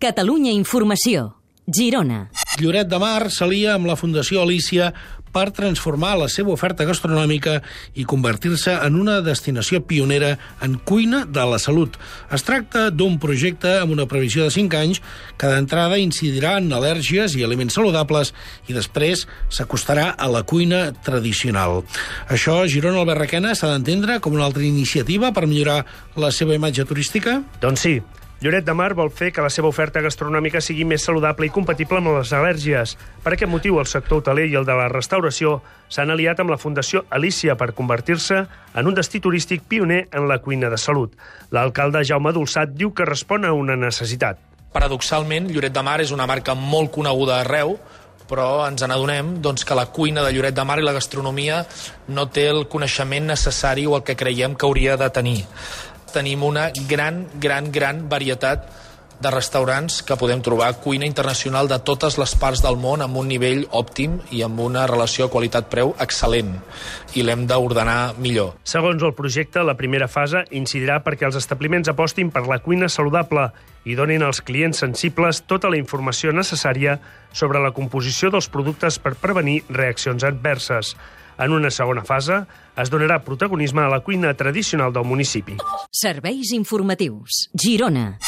Catalunya Informació. Girona. Lloret de Mar s'alia amb la Fundació Alícia per transformar la seva oferta gastronòmica i convertir-se en una destinació pionera en cuina de la salut. Es tracta d'un projecte amb una previsió de 5 anys que d'entrada incidirà en al·lèrgies i aliments saludables i després s'acostarà a la cuina tradicional. Això a Girona, Albert Requena, s'ha d'entendre com una altra iniciativa per millorar la seva imatge turística? Doncs sí. Lloret de Mar vol fer que la seva oferta gastronòmica sigui més saludable i compatible amb les al·lèrgies. Per aquest motiu, el sector hoteler i el de la restauració s'han aliat amb la Fundació Alícia per convertir-se en un destí turístic pioner en la cuina de salut. L'alcalde Jaume Dolçat diu que respon a una necessitat. Paradoxalment, Lloret de Mar és una marca molt coneguda arreu, però ens n'adonem que la cuina de Lloret de Mar i la gastronomia no té el coneixement necessari o el que creiem que hauria de tenir. Tenim una gran varietat de restaurants que podem trobar cuina internacional de totes les parts del món amb un nivell òptim i amb una relació qualitat-preu excel·lent, i l'hem d'ordenar millor. Segons el projecte, la primera fase incidirà perquè els establiments apostin per la cuina saludable i donin als clients sensibles tota la informació necessària sobre la composició dels productes per prevenir reaccions adverses. En una segona fase, es donarà protagonisme a la cuina tradicional del municipi. Serveis informatius. Girona.